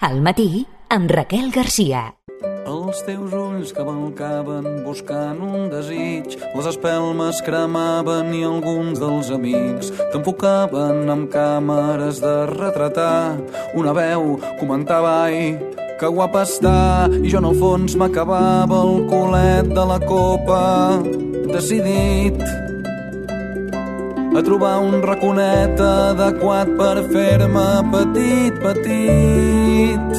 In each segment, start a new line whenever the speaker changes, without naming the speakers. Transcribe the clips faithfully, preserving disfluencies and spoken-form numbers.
Al matí, amb Raquel Garcia.
Els teus ulls cavalcaven buscant un desig, les espelmes cremaven i alguns dels amics t'enfocaven amb càmeres de retratar. Una veu comentava, ai, que guapa està, i jo en el fons m'acabava el culet de la copa, decidit a trobar un raconet adequat per fer-me petit, petit.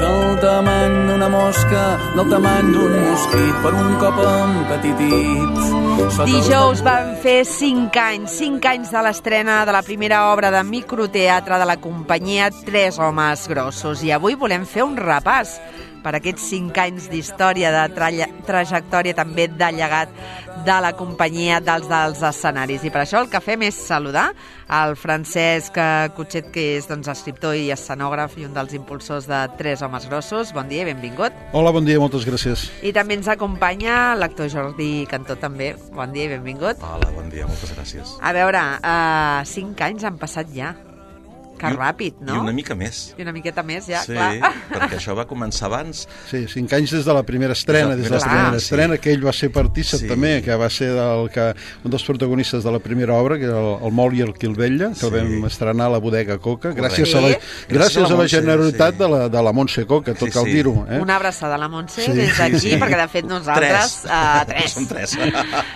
Del tamany d'una mosca, del tamany d'un mosquit, per un cop empetitit.
Dijous van fer cinc anys, cinc anys de l'estrena de la primera obra de microteatre de la companyia Tres homes grossos. I avui volem fer un repàs per aquests cinc anys d'història, de tra- trajectòria, també de llegat de la companyia dels dels escenaris. I per això el que fem és saludar el Francesc Cutxet, que és doncs, escriptor i escenògraf i un dels impulsors de Tres homes grossos. Bon dia i benvingut.
Hola, bon dia, moltes gràcies.
I també ens acompanya l'actor Jordi Cantó, també. Bon dia i benvingut.
Hola, bon dia, moltes gràcies.
A veure, uh, cinc anys han passat ja. Que ràpid, no?
I una mica més.
I una miqueta més, ja,
sí,
clar.
perquè això va començar abans.
Sí, cinc anys des de la primera estrena, des de la
Clar.
primera estrena, que ell va ser partícip
Sí.
també, que va ser del, que, un dels protagonistes de la primera obra, que era el, el Mol i el Quilvella, que
Sí.
el vam estrenar a la Bodega Coca,
Correcte.
gràcies a la,
Sí.
gràcies a la
Montse,
generositat
sí.
de la, de la Montse Coca, tot
Sí,
cal
sí.
dir-ho. Eh?
Una abraçada a la Montse
Sí,
des d'aquí,
sí, sí.
perquè de fet nosaltres...
Tres.
Uh, tres.
Som tres.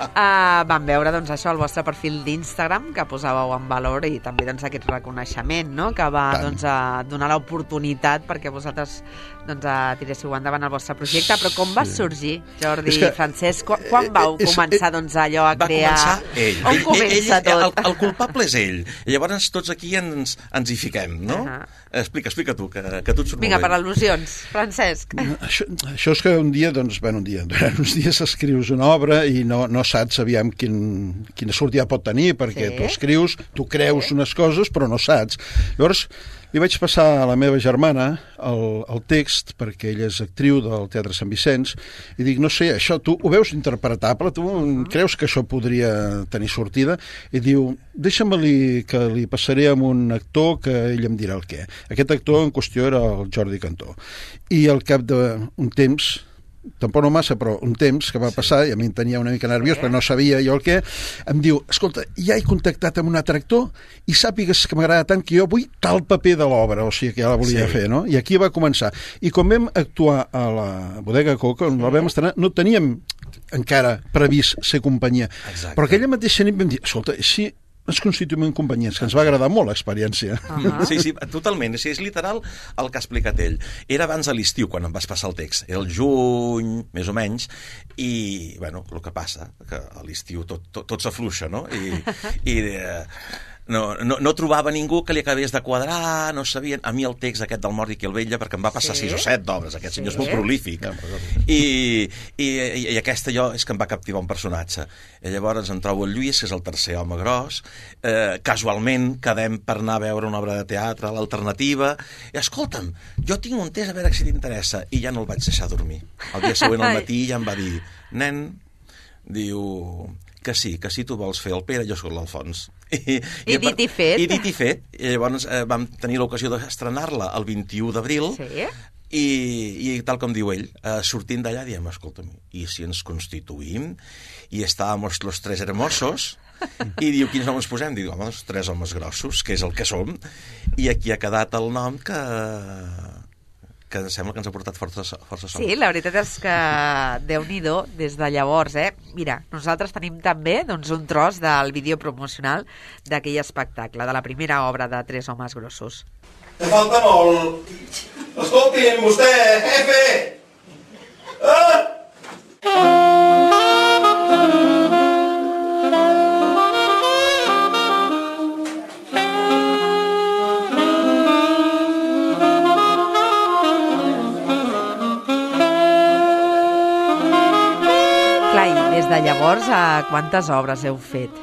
Uh, vam veure doncs, això al vostre perfil d'Instagram, que posàveu en valor, i també doncs, aquest reconeixement, no?, que va
Tant.
doncs, a donar l'oportunitat perquè vosaltres doncs, a tiréssiu endavant el vostre projecte. Però com va sorgir, Jordi
És que-
Francesc? Quan, quan vau
és-
començar doncs, allò a
Va
crear...
començar ell.
On
Ell-
comença
ell,
tot?
El, el culpable és ell. I llavors tots aquí ens, ens hi fiquem, no?
Ahà.
Explica, explica tu, que, que tu et surt
Vinga,
molt
per
bé.
al·lusions, Francesc.
Això, això és que un dia, doncs, bueno, un dia, durant uns dies escrius una obra i no, no saps aviam quin, quina sortida pot tenir, perquè
Sí.
tu escrius, tu creus unes coses, però no saps. Llavors, li vaig passar a la meva germana el, el text, perquè ella és actriu del Teatre Sant Vicenç, i dic, no sé, això tu ho veus interpretable? Tu creus que això podria tenir sortida? I diu, deixa'm-li que li passaré amb un actor que ell em dirà el què. Aquest actor en qüestió era el Jordi Cantó. I al cap d'un temps, tampoc no massa, però un temps que va passar, i a mi em tenia una mica nerviós, perquè no sabia jo el què, em diu, escolta, ja he contactat amb un altre actor i sàpigues que m'agrada tant que jo vull tal paper de l'obra, o sigui que ja la volia
Sí.
fer, no? I aquí va començar. I quan vam actuar a la Bodega Coca, on la vam estrenar, no teníem encara previst ser companyia.
Exacte.
Però aquella mateixa nit vam dir, escolta, si ens constituïm en companyies, que ens va agradar molt l'experiència.
Ah.
Sí, sí, totalment. O sigui, és literal el que ha explicat ell. Era abans de l'estiu, quan em vas passar el text. Era el juny, més o menys, i, bueno, el que passa, que a l'estiu tot, tot, tot s'afluixa, no? I, i eh, no, no, no trobava ningú que li acabés de quadrar, no sabien... A mi el text aquest del Mort i Quilvella, perquè em va passar
Sí?
sis o set d'obres, aquest
Sí?
senyor és molt prolífic. I, i, i, i aquesta jo és que em va captivar un personatge. I llavors em trobo el Lluís, que és el tercer home gros, eh, casualment quedem per anar a veure una obra de teatre, l'Alternativa, i escolta'm, jo tinc un test a veure si t'interessa, i ja no el vaig deixar dormir. El dia següent al matí ja em va dir, nen, diu que sí, que sí tu vols fer el Pere, jo soc l'Alfons. I,
I dit i fet.
I dit i fet. I llavors eh, vam tenir l'ocasió d'estrenar-la el vint-i-u d'abril,
Sí?
i, i tal com diu ell, eh, sortint d'allà diem, escolta'm, i si ens constituïm i estàvem los tres hermosos, i diu, quins noms posem? Diu, home, els tres homes grossos, que és el que som, i aquí ha quedat el nom que, que em sembla que ens ha portat força, força sort.
Sí, la veritat és que Déu-n'hi-do des de llavors, eh? Mira, nosaltres tenim també doncs, un tros del vídeo promocional d'aquell espectacle, de la primera obra de Tres homes grossos.
Te falta molt. Escolti'm, vostè, jefe! Ah!
Clar, i des de llavors, a quantes obres heu fet?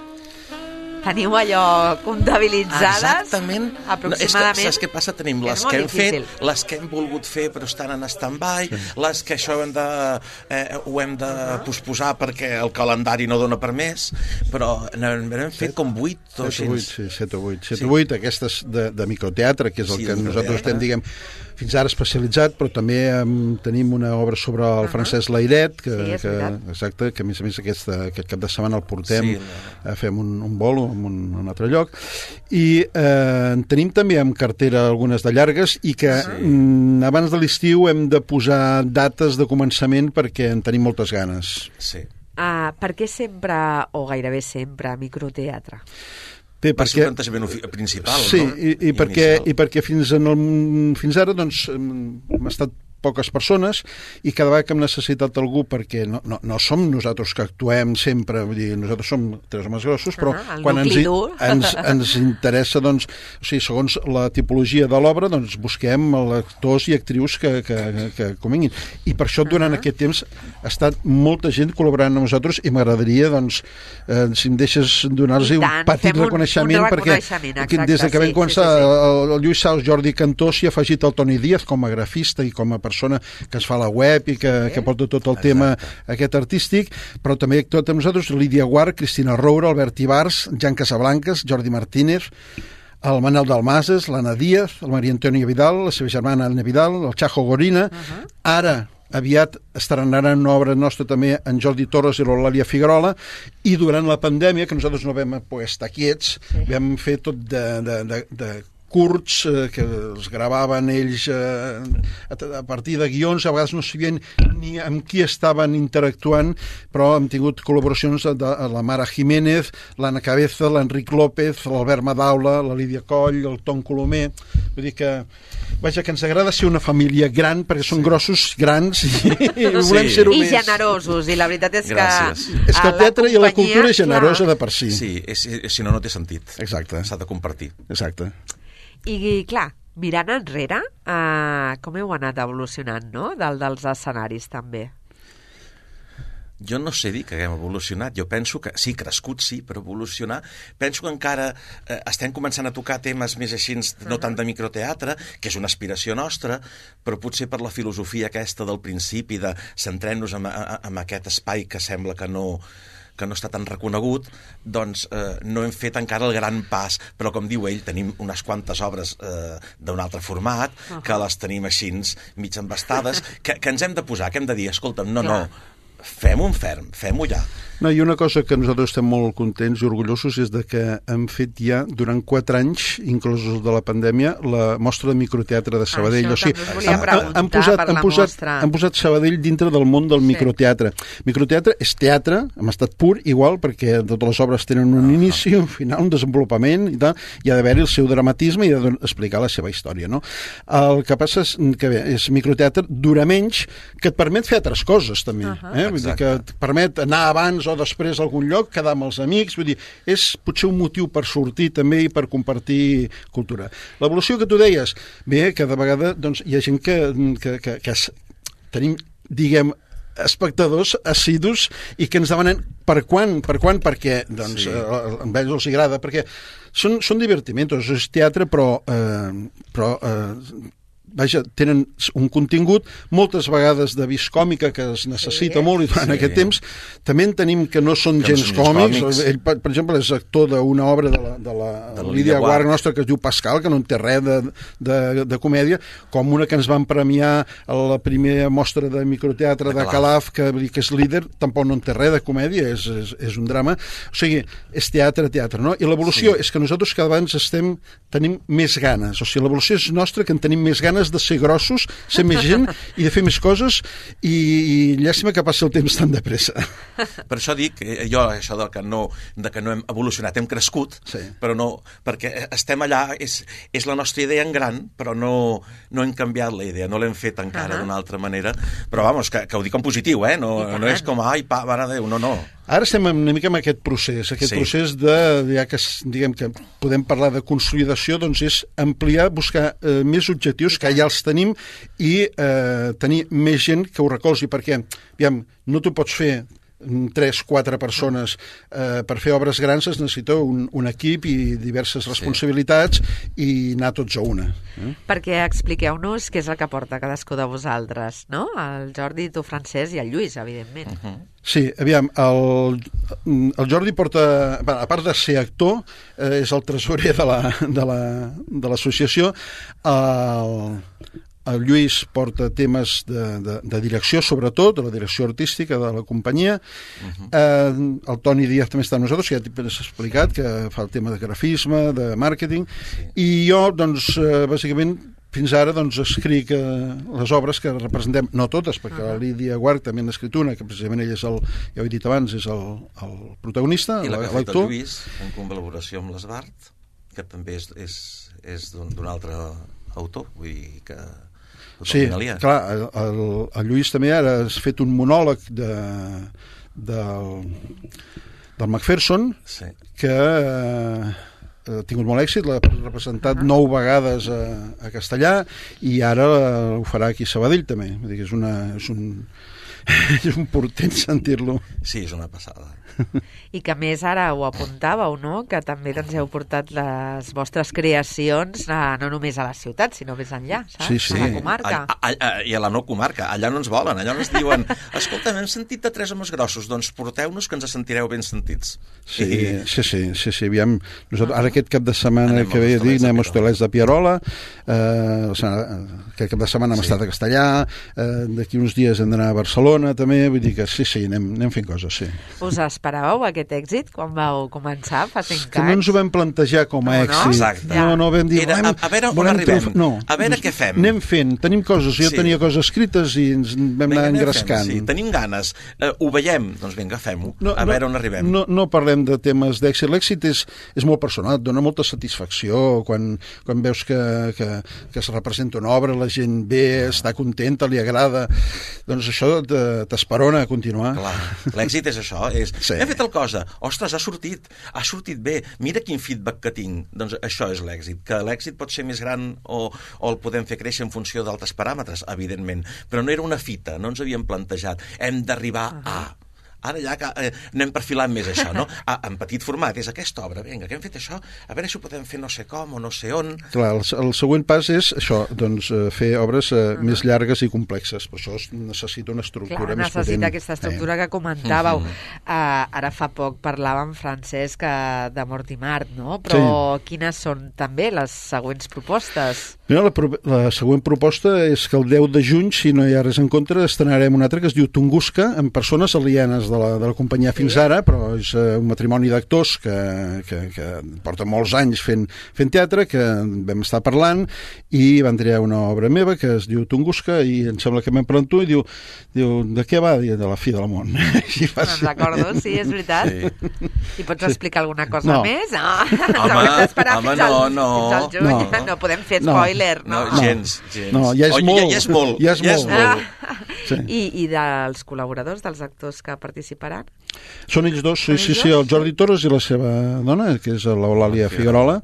teniu allò comptabilitzades
Exactament.
aproximadament.
No, és que, saps què passa? Tenim les que hem difícil. fet, les que hem volgut fer però estan en stand-by, sí. les que això hem de, eh, ho hem de uh -huh. posposar perquè el calendari no dona per més, però n'hem fet com vuit o
set o vuit, sí, set o vuit. set
sí.
o vuit, aquestes de, de microteatre, que és el
sí,
que nosaltres estem, diguem, fins ara especialitzat, però també um, tenim una obra sobre el uh -huh. Francesc Layret, que,
sí,
que, exacte, que a més a més aquesta, aquest cap de setmana el portem,
sí,
no. a fem un, un bolo en un, un altre lloc, i eh, tenim també en cartera algunes de llargues, i que sí. mm, abans de l'estiu hem de posar dates de començament perquè en tenim moltes ganes.
Sí.
Uh, per què sempre, o gairebé sempre, microteatre?
Bé,
per
perquè,
ser un plantejament principal,
sí,
no?
i, i, perquè, i perquè fins, en el, fins ara doncs, hem estat poques persones, i cada vegada que hem necessitat algú, perquè no, no, no som nosaltres que actuem sempre, vull dir, nosaltres som tres homes grossos, però
ah,
quan ens, ens, ens interessa, doncs, o sigui, segons la tipologia de l'obra, doncs busquem actors i actrius que, que, que convinguin. I per això durant uh -huh. aquest temps ha estat molta gent col·laborant amb nosaltres, i m'agradaria, doncs, eh, si em deixes donar-los un petit reconeixement,
un, un
perquè
exacte,
des de que vam
sí,
començar,
sí, sí, sí.
el, el Lluís Saus, Jordi Cantó s'hi ha afegit el Toni Díaz com a grafista i com a persona que es fa la web i que, que porta tot el Exacte. tema aquest artístic, però també tot amb nosaltres Lídia Guart, Cristina Roura, Albert Ibars, Jan Casablancas, Jordi Martínez, el Manel Dalmases, l'Anna Díaz, el Maria Antònia Vidal, la seva germana Anna Vidal, el Chajo Gorina, uh-huh. ara aviat estrenaran una obra nostra també en Jordi Torres i l'Eulàlia Figuerola, i durant la pandèmia, que nosaltres no vam poder estar quiets, sí. vam fer tot de, de, de, de curts eh, que els gravaven ells eh, a, a partir de guions, a vegades no sabien ni amb qui estaven interactuant, però hem tingut col·laboracions de, de la Mara Jiménez, l'Anna Cabeza, l'Enric López, l'Albert Madaula, la Lídia Coll, el Tom Colomer. Vull dir que, vaja, que ens agrada ser una família gran, perquè són sí. grossos, grans, i, i volem
sí.
ser-ho
I
més.
I generosos, i la veritat és
Gràcies.
que...
És que el teatre i la cultura és generosa
clar.
de per si.
Sí, és, si no, no té sentit.
Exacte.
S'ha de compartir.
Exacte.
I, clar, mirant enrere, uh, com heu anat evolucionant, no?, del, dels escenaris, també.
Jo no sé dir que haguem evolucionat. Jo penso que, sí, crescut sí, però evolucionar... Penso que encara eh, estem començant a tocar temes més així, no tant de microteatre, que és una aspiració nostra, però potser per la filosofia aquesta del principi de centrem-nos en, en aquest espai que sembla que no... que no està tan reconegut, doncs eh, no hem fet encara el gran pas, però com diu ell, tenim unes quantes obres eh, d'un altre format, uh -huh. que les tenim així mig embastades, que, que ens hem de posar, que hem de dir, escolta'm, no, Clar. no, fem un ferm, fem-ho ja.
No, i una cosa que nosaltres estem molt contents i orgullosos és de que hem fet ja durant quatre anys, inclosos de la pandèmia, la mostra de microteatre de Sabadell.
Això
o sigui,
també us volia preguntar
han posat,
per la
han posat,
mostra.
Han posat Sabadell dintre del món del sí. microteatre. Microteatre és teatre, en estat pur, igual, perquè totes les obres tenen un inici, un final, un desenvolupament, i tal, i ha d'haver-hi el seu dramatisme i ha d'explicar la seva història, no? El que passa és que bé, és microteatre, dura menys, que et permet fer altres coses, també. Uh -huh. eh? Vull dir que et permet anar abans o després a algun lloc, quedar amb els amics, vull dir, és potser un motiu per sortir també i per compartir cultura. L'evolució que tu deies, bé, cada vegada doncs, hi ha gent que, que, que, que es, tenim, diguem, espectadors assidus i que ens demanen per quan, per quan, perquè doncs, sí. eh, a ells els agrada, perquè són, són divertimentos, és teatre, però, eh, però eh, vaja, tenen un contingut moltes vegades de vis còmica que es necessita sí, molt i durant sí. aquest temps també en tenim que no són que gens no còmics. còmics ell, per, per exemple, és actor d'una obra de la, de la, de la Lídia Guart nostra que es diu Pascal, que no en té res de, de, de comèdia, com una que ens van premiar a la primera mostra de microteatre de, de Calaf, que, que és líder, tampoc no en té res de comèdia, és, és, és un drama, o sigui, és teatre, teatre, no? I l'evolució sí. és que nosaltres cada vegada estem, tenim més ganes, o sigui, l'evolució és nostra, que en tenim més ganes de ser grossos, ser més gent i de fer més coses, i, i llàstima que passi el temps tan de pressa.
Per això dic, jo, això de que no, de que no hem evolucionat, hem crescut, sí. però no, perquè estem allà, és, és la nostra idea en gran, però no, no hem canviat la idea, no l'hem fet encara uh -huh. d'una altra manera, però vamos, que, que ho dic en positiu, eh? No, no és com, ai, pa, mare de Déu, no, no.
Ara estem una mica en aquest procés, aquest sí. procés de, ja que diguem que podem parlar de consolidació, doncs és ampliar, buscar eh, més objectius, que ja els tenim, i eh, tenir més gent que ho recolzi, perquè, aviam, no t'ho pots fer tres, quatre persones eh, per fer obres grans es necessita un, un equip i diverses responsabilitats sí. i anar tots a una. Eh?
Perquè expliqueu-nos què és el que porta cadascú de vosaltres, no? El Jordi, tu, Francesc, i el Lluís, evidentment. Uh -huh.
Sí, aviam, el, el Jordi porta, a part de ser actor, eh, és el tresorer de la, de la, de l'associació. El, el Lluís porta temes de, de, de direcció, sobretot, de la direcció artística de la companyia. Uh-huh. eh, el Toni Díaz també està amb nosaltres, que ja t'he explicat, que fa el tema de grafisme, de màrqueting, sí. I jo, doncs, eh, bàsicament, fins ara doncs, escric eh, les obres que representem, no totes, perquè uh -huh. la Lídia Guarch també n'ha escrit una, que precisament ell és el, ja ho he dit abans, és el, el protagonista,
i la que ha fet
l'actor.
el Lluís, en col·laboració amb l'Esbart, que també és, és, és d'un altre autor, vull dir que...
Sí, clar, el, el, el Lluís també ara has fet un monòleg de, del, del Macpherson, sí. que... Eh, ha tingut molt èxit, l'ha representat uh -huh. nou vegades a, a castellà i ara ho farà aquí a Sabadell també. Vull dir que és, una, és, un, és un portent sentir-lo.
Sí, és una passada.
I que més ara ho apuntàveu, no? Que també doncs, heu portat les vostres creacions a, no només a la ciutat, sinó més enllà, saps?
Sí, sí.
A la comarca.
A, a, a, I a la no comarca. Allà no ens volen, allà no ens diuen escolta, hem sentit de tres homes grossos, doncs porteu-nos que ens sentireu ben sentits.
Sí,
I...
sí, sí, sí, sí. Aviam, nosaltres, ara aquest cap de setmana anem que ve a dir, anem a Hostalets de Pierola, eh, aquest cap de setmana hem sí. estat a Castellà, eh, d'aquí uns dies hem d'anar a Barcelona també, vull dir que sí, sí, anem, anem fent coses, sí.
Us esperàveu aquest èxit quan vau començar fa cinc anys?
Que no ens ho vam plantejar com a
no,
èxit.
No?
Exacte.
No, no vam dir...
Era, a, a veure on arribem, triomf... no, a veure què fem.
Anem fent, tenim coses, jo sí. tenia coses escrites i ens vam
venga,
anar engrescant.
Sí, tenim ganes, uh, ho veiem, doncs vinga, fem-ho,
no,
a
no,
veure on arribem.
No, no parlem de temes d'èxit, l'èxit és, és molt personal, et dona molta satisfacció quan, quan veus que, que, que es representa una obra, la gent ve, està contenta, li agrada, doncs això t'esperona a continuar.
Clar, l'èxit és això, és,
sí.
hem fet el cosa, ostres, ha sortit, ha sortit bé, mira quin feedback que tinc, doncs això és l'èxit, que l'èxit pot ser més gran o, o el podem fer créixer en funció d'altres paràmetres, evidentment, però no era una fita, no ens havíem plantejat, hem d'arribar uh -huh. a... Ara ja que, eh, anem perfilant més això, no? Ah, en petit format, és aquesta obra, vinga, que hem fet això, a veure si ho podem fer no sé com o no sé on...
Clar, el, el següent pas és això, doncs, eh, fer obres eh, uh -huh. més llargues i complexes, per això es necessita una estructura
Clar,
més potent.
necessita aquesta estructura eh. que comentàveu. Uh -huh. uh, ara fa poc parlàvem, Francesc, uh, de Mort i Mart, no? Però sí. quines són també les següents propostes?
Mira, la, la següent proposta és que el deu de juny, si no hi ha res en contra, estrenarem una altra que es diu Tunguska, amb persones alienes de la, de la companyia sí. fins ara, però és uh, un matrimoni d'actors que, que, que porta molts anys fent, fent teatre, que vam estar parlant i van triar una obra meva que es diu Tunguska i em sembla que m'hem parlat tu i diu, diu, de què va? De la fi del món.
Me'n recordo, sí, és veritat. Sí. I pots sí. explicar alguna cosa
no.
més? No.
Home, home no, no.
Fins al juny. No. no podem fer spoiler, no.
No, no gens, gens.
No, ja és
oh,
molt.
Ja, ja és molt.
Ja és
ja
molt.
És molt.
Ah. Sí. I, I dels col·laboradors, dels actors que participaran?
Són ells dos, sí, sí, sí, el Jordi Torres i la seva dona, que és l'Eulàlia Figuerola,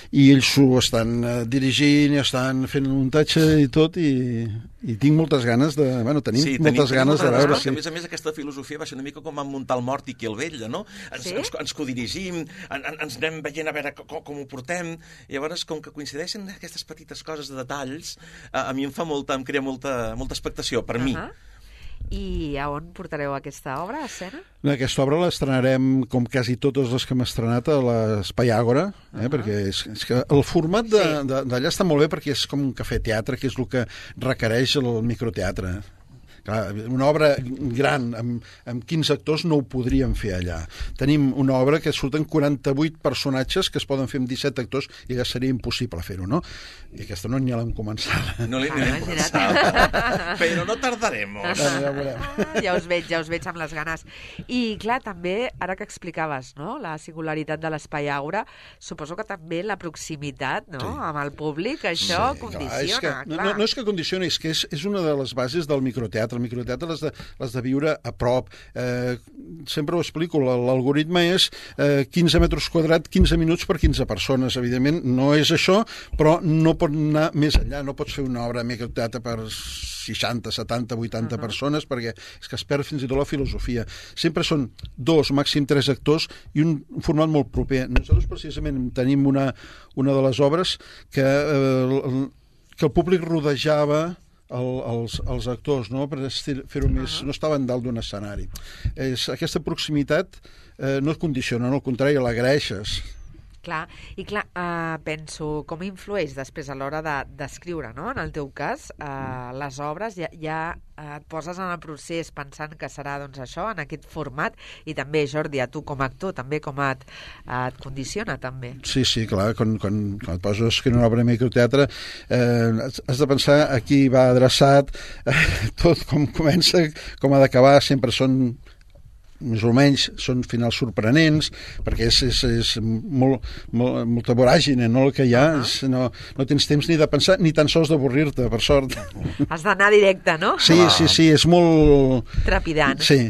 i ells ho estan uh, dirigint i estan fent un muntatge i tot, i, i tinc moltes ganes de... Bueno, tenim
sí,
moltes
tenim,
ganes
tenim
de veure...
Sí. A més a més, aquesta filosofia va ser una mica com en muntar el mort i qui el vetlla, no? Ens, sí? ens, ens codirigim, en, en, ens anem veient a veure com, com ho portem, i llavors, com que coincideixen aquestes petites coses de detalls, a, a mi em fa molta, em crea molta, molta expectació, per uh -huh. mi.
I a on portareu aquesta obra, a escena?
Aquesta obra l'estrenarem, com quasi totes les que hem estrenat, a l'Espai Àgora, eh? uh -huh. perquè és, és que el format d'allà sí. està molt bé perquè és com un cafè-teatre, que és el que requereix el microteatre. Clar, una obra gran, amb, amb quinze actors, no ho podríem fer allà. Tenim una obra que surten quaranta-vuit personatges que es poden fer amb disset actors i allà seria impossible fer-ho, no? I aquesta no ni l'hem començat.
No l'hem ah, començat. Però no tardaremos.
Ah, ja, ah, ja us veig, ja us veig amb les ganes. I, clar, també, ara que explicaves, no?, la singularitat de l'Espai Àgora, suposo que també la proximitat, no?, sí. amb el públic, això sí, condiciona.
Clar, és que,
clar.
No, no és que condicioni, és que és, és una de les bases del microteatre. el microteatre l'has de, l'has de viure a prop. Eh, sempre ho explico, l'algoritme és eh, quinze metres quadrats, quinze minuts per quinze persones. Evidentment no és això, però no pot anar més enllà. No pots fer una obra de microteatre per seixanta, setanta, vuitanta uh-huh. persones, perquè és que es perd fins i tot la filosofia. Sempre són dos, màxim tres actors i un format molt proper. Nosaltres precisament tenim una, una de les obres que, eh, que el públic rodejava el, els, els actors, no? Per fer-ho més... No estaven dalt d'un escenari. És, aquesta proximitat eh, no et condiciona, no, al contrari, l'agraeixes.
Clar, i clar, eh, penso, com influeix després a l'hora d'escriure, no? En el teu cas, eh, les obres ja, ja et poses en el procés pensant que serà doncs, això, en aquest format, i també, Jordi, a tu com a actor, també com et, et condiciona, també.
Sí, sí, clar, quan, quan, quan et poses a escriure una obra de microteatre, eh, has de pensar a qui va adreçat, eh, tot com comença, com ha d'acabar, sempre són... més o menys són finals sorprenents, perquè és, és, és molt, molt, molta voràgine, no, el que hi ha. Uh-huh. és, no, no tens temps ni de pensar ni tan sols d'avorrir-te, per sort.
Has d'anar directe, no?
Sí, sí, sí, és molt...
Trepidant.
Sí.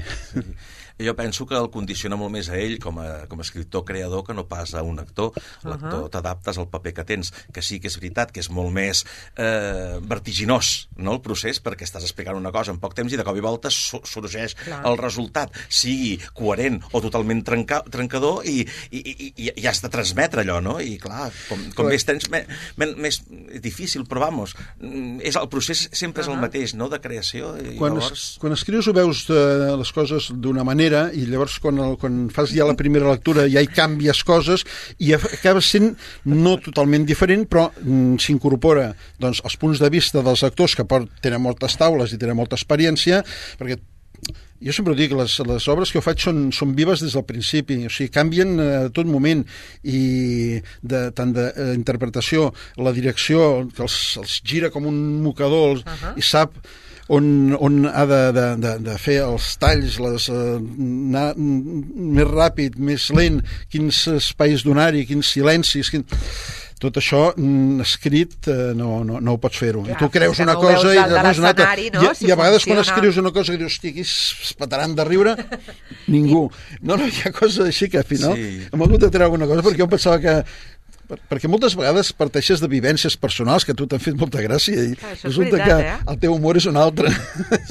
Jo penso que el condiciona molt més a ell com a, com a escriptor creador que no pas a un actor. L'actor uh-huh. t'adaptes al paper que tens, que sí que és veritat que és molt més eh, vertiginós, no, el procés, perquè estàs explicant una cosa en poc temps i de cop i volta sorgeix Clar. el resultat, sigui coherent o totalment trenca, trencador i, i, i, i has de transmetre allò, no? I clar, com, com més tens, més, més difícil, però vamos, és, el procés sempre és el mateix, no?, de creació. I
quan,
llavors...
es, quan escrius ho veus de, les coses d'una manera i llavors quan, el, quan fas ja la primera lectura ja hi canvies coses i acabes sent no totalment diferent, però mm, s'incorpora doncs, els punts de vista dels actors que port, tenen moltes taules i tenen molta experiència, perquè jo sempre dic, les, les obres que jo faig són, són vives des del principi, o sigui, canvien a tot moment, i de, tant d'interpretació, la direcció, que els, els gira com un mocador, els, uh-huh. i sap on, on ha de, de, de, de fer els talls, les, uh, anar més ràpid, més lent, quins espais donar-hi, quins silencis... Quin... Tot això mm, escrit eh, no, no, no ho pots fer-ho. I tu creus una
no
cosa i després una altra.
No?
I,
si
i a vegades
funciona...
quan escrius una cosa que dius, hosti, aquí es petaran de riure, ningú. No, no, hi ha coses així que al final sí. hem hagut de treure alguna cosa perquè jo pensava que... Perquè moltes vegades parteixes de vivències personals que a tu t'han fet molta gràcia i
ah,
resulta
veritat,
que
eh?
el teu humor és un altre.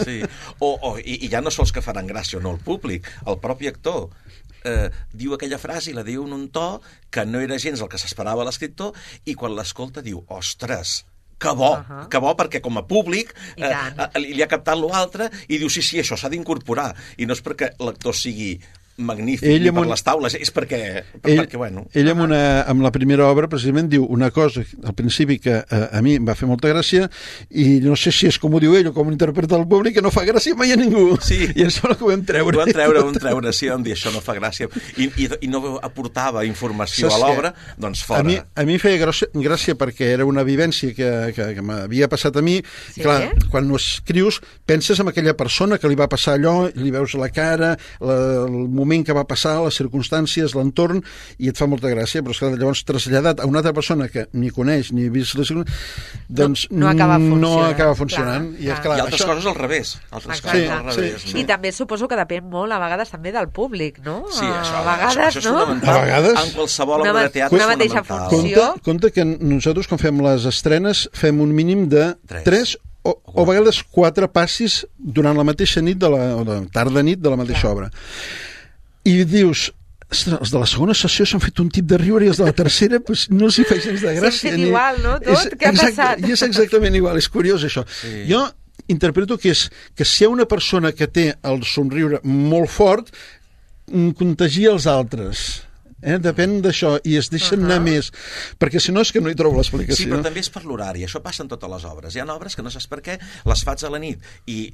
Sí, o, o, i, i ja no sols que faran gràcia o no el públic, el propi actor eh, diu aquella frase i la diu en un to que no era gens el que s'esperava l'escriptor i quan l'escolta diu, ostres, que bo, uh-huh. que bo, perquè com a públic eh, li, li ha captat l'altre i diu, sí, sí, això s'ha d'incorporar i no és perquè l'actor sigui magnífic ell per un... les taules, és perquè, per,
ell,
perquè bueno...
Ell amb, una, amb la primera obra precisament diu una cosa al principi que a, a mi em va fer molta gràcia i no sé si és com ho diu ell o com ho interpreta el públic, que no fa gràcia mai a ningú.
Sí.
I em sembla que ho vam treure.
Ho vam treure, ho vam treure, sí, vam dir això no fa gràcia i, i, i no aportava informació Saps a l'obra, doncs fora.
A mi, a mi feia gràcia, gràcia perquè era una vivència que, que, que m'havia passat a mi.
Sí?
Clar, quan ho escrius penses en aquella persona que li va passar allò, li veus la cara, la, el moment que va passar, les circumstàncies, l'entorn, i et fa molta gràcia, però esclar, llavors traslladat a una altra persona que ni coneix ni vist les doncs
no, no acaba funcionant.
No acaba funcionant.
Clar,
I,
clar.
clar,
I altres
això...
coses al revés. Altres
Exacte.
coses
Sí,
al revés.
sí,
No?
I també suposo que depèn molt, a vegades, també del públic, no?
Sí, això,
a vegades,
això, això és
no?
fonamental.
A vegades...
En qualsevol
Una,
obra de teatre
una
és
mateixa
fonamental.
funció.
Compte, compte que nosaltres, quan fem les estrenes, fem un mínim de
Tres.
tres o, o a vegades quatre passis durant la mateixa nit, de la, o de tarda nit de la mateixa obra. I dius, els de la segona sessió s'han fet un tip de riure i els de la tercera pues, no els hi feia gens de gràcia.
S'han fet igual, no? Tot?
És,
Què ha
exacte,
passat?
I és exactament igual, és curiós això.
Sí.
Jo interpreto que és que si hi ha una persona que té el somriure molt fort, contagia els altres. Eh? Depèn d'això, i es deixen uh-huh. anar més, perquè si no és que no hi trobo l'explicació.
Sí, però també és per l'horari, això passa en totes les obres. Hi ha obres que no saps per què, les fas a la nit i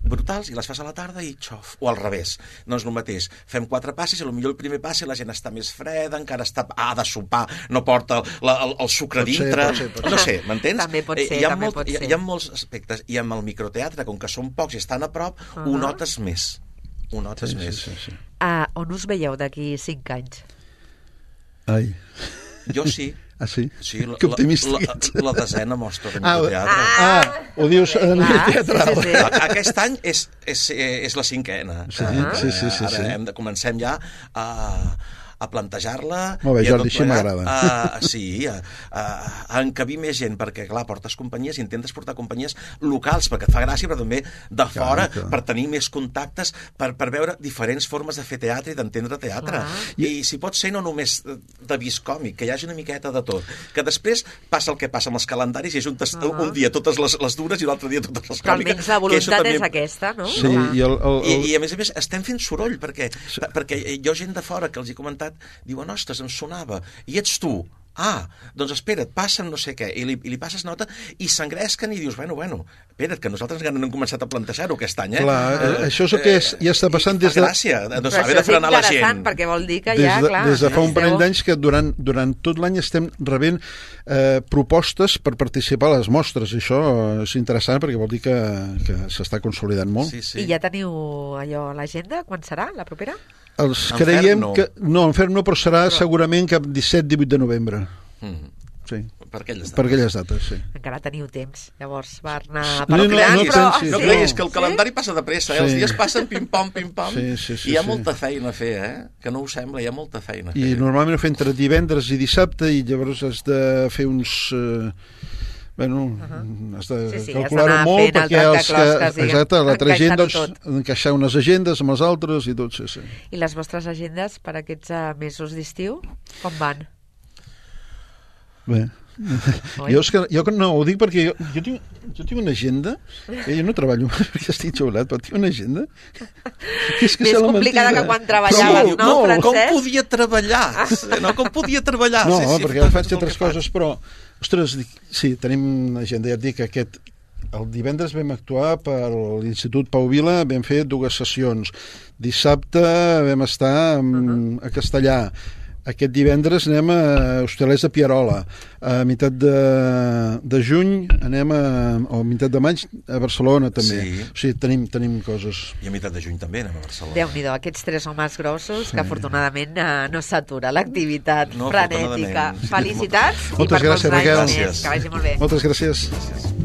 brutals i les fas a la tarda i xof, o al revés, no és el mateix, fem quatre passis i potser el primer passi la gent està més freda, encara està, ha de sopar, no porta el, la, el, el sucre
pot
dintre,
ser, pot ser, pot
no sé, m'entens?
També pot ser,
hi ha
també
molt,
pot
hi,
ser.
hi ha molts aspectes, i amb el microteatre, com que són pocs i estan a prop, uh-huh. ho notes més, ho notes
Sí,
més.
sí, sí, sí.
Ah, on us veieu d'aquí cinc anys?
Ai.
Jo sí.
Ah, sí?
Sí, la,
que optimista
la, la, la desena mostra de
ah,
microteatre.
Ah, ah, ho dius a nivell teatral.
Sí, sí, sí.
Aquest any és, és, és la cinquena.
Sí, uh -huh. sí, sí, sí,
Ara
sí.
hem de, comencem ja a... a plantejar-la...
Molt bé, Jordi, així m'agrada.
A, sí, a, a, a encabir més gent, perquè, clar, portes companyies, intentes portar companyies locals, perquè et fa gràcia, però també de fora, clar, clar. per tenir més contactes, per, per veure diferents formes de fer teatre i d'entendre teatre. Clar. I, I si pot ser no només de vist còmic, que hi hagi una miqueta de tot. Que després passa el que passa amb els calendaris i ajuntes uh -huh. un dia totes les, les dures i l'altre dia totes les còmiques.
Però almenys la voluntat també... és aquesta, no?
Sí, i, el, el, el...
I, I a més a més estem fent soroll, perquè, sí. perquè hi ha gent de fora que els he comentat, diuen, ostres, em sonava, i ets tu. Ah, doncs espera't, passa'm no sé què, i li, i li passes nota i s'engresquen i dius, bueno, bueno, espera't, que nosaltres encara no hem començat a plantejar-ho aquest any, eh?
Clar, eh, això és el que és, ja està passant des de...
gràcia, no saber de frenar la gent.
Però això és interessant, perquè vol dir que
des
ja,
de,
clar...
Des de fa un parell d'anys que durant, durant tot l'any estem rebent eh, propostes per participar a les mostres, i això és interessant perquè vol dir que, que s'està consolidant molt.
Sí, sí.
I ja teniu allò a l'agenda? Quan serà, la propera?
Els
en
creiem
no.
que... No, en fer no, però serà però... segurament cap disset divuit de novembre.
Mm.
Sí.
Per aquelles dates.
Per aquelles dates, sí.
Encara teniu temps, llavors, per anar
no,
per
no,
creant,
no,
però...
sí,
No
sí.
creguis que el
Sí?
calendari passa de pressa, eh?
Sí.
Els dies passen pim-pam, pim-pam,
Sí, sí, sí,
i hi ha
sí.
molta feina a fer, eh? Que no us sembla, hi ha molta feina a fer.
I normalment ho fem entre divendres i dissabte i llavors has de fer uns... Eh, bueno, uh -huh. has de
Sí, sí,
calcular-ho
has d'anar
molt
fent el
perquè els que...
trencaclosques, diguem,
Exacte, l'altra gent, doncs,
encaixar-ho
encaixar unes agendes amb els altres i tot, sí, sí.
I les vostres agendes per aquests uh, mesos d'estiu, com van?
Bé, jo, és que, jo no, ho dic perquè jo, jo, tinc, jo tinc una agenda, eh, jo no treballo perquè estic jubilat, però tinc una agenda que és que
Més complicada
mentida.
que quan treballaves,
Sí,
no,
no,
Francesc?
com podia treballar? No, com podia treballar?
No,
sí, sí,
perquè
tot-
faig
tot el
altres
que faig.
coses, però, ostres, dic, sí, tenim agenda, ja et dic, aquest, el divendres vam actuar per l'Institut Pau Vila, vam fer dues sessions. Dissabte vam estar um, a Castellà. Aquest divendres anem a Hostalers de Pierola. A meitat de, de juny anem a, o a meitat de maig a Barcelona també.
Sí.
O sigui, tenim, tenim coses.
I a meitat de juny també anem a Barcelona.
Déu-n'hi-do, aquests tres homes grossos que afortunadament eh, no s'atura l'activitat
No,
frenètica.
afortunadament. Sí,
Felicitats i
Moltes
per molts
gràcies,
anys
Raquel.
més. Que vagi molt bé.
Moltes gràcies.
Gràcies.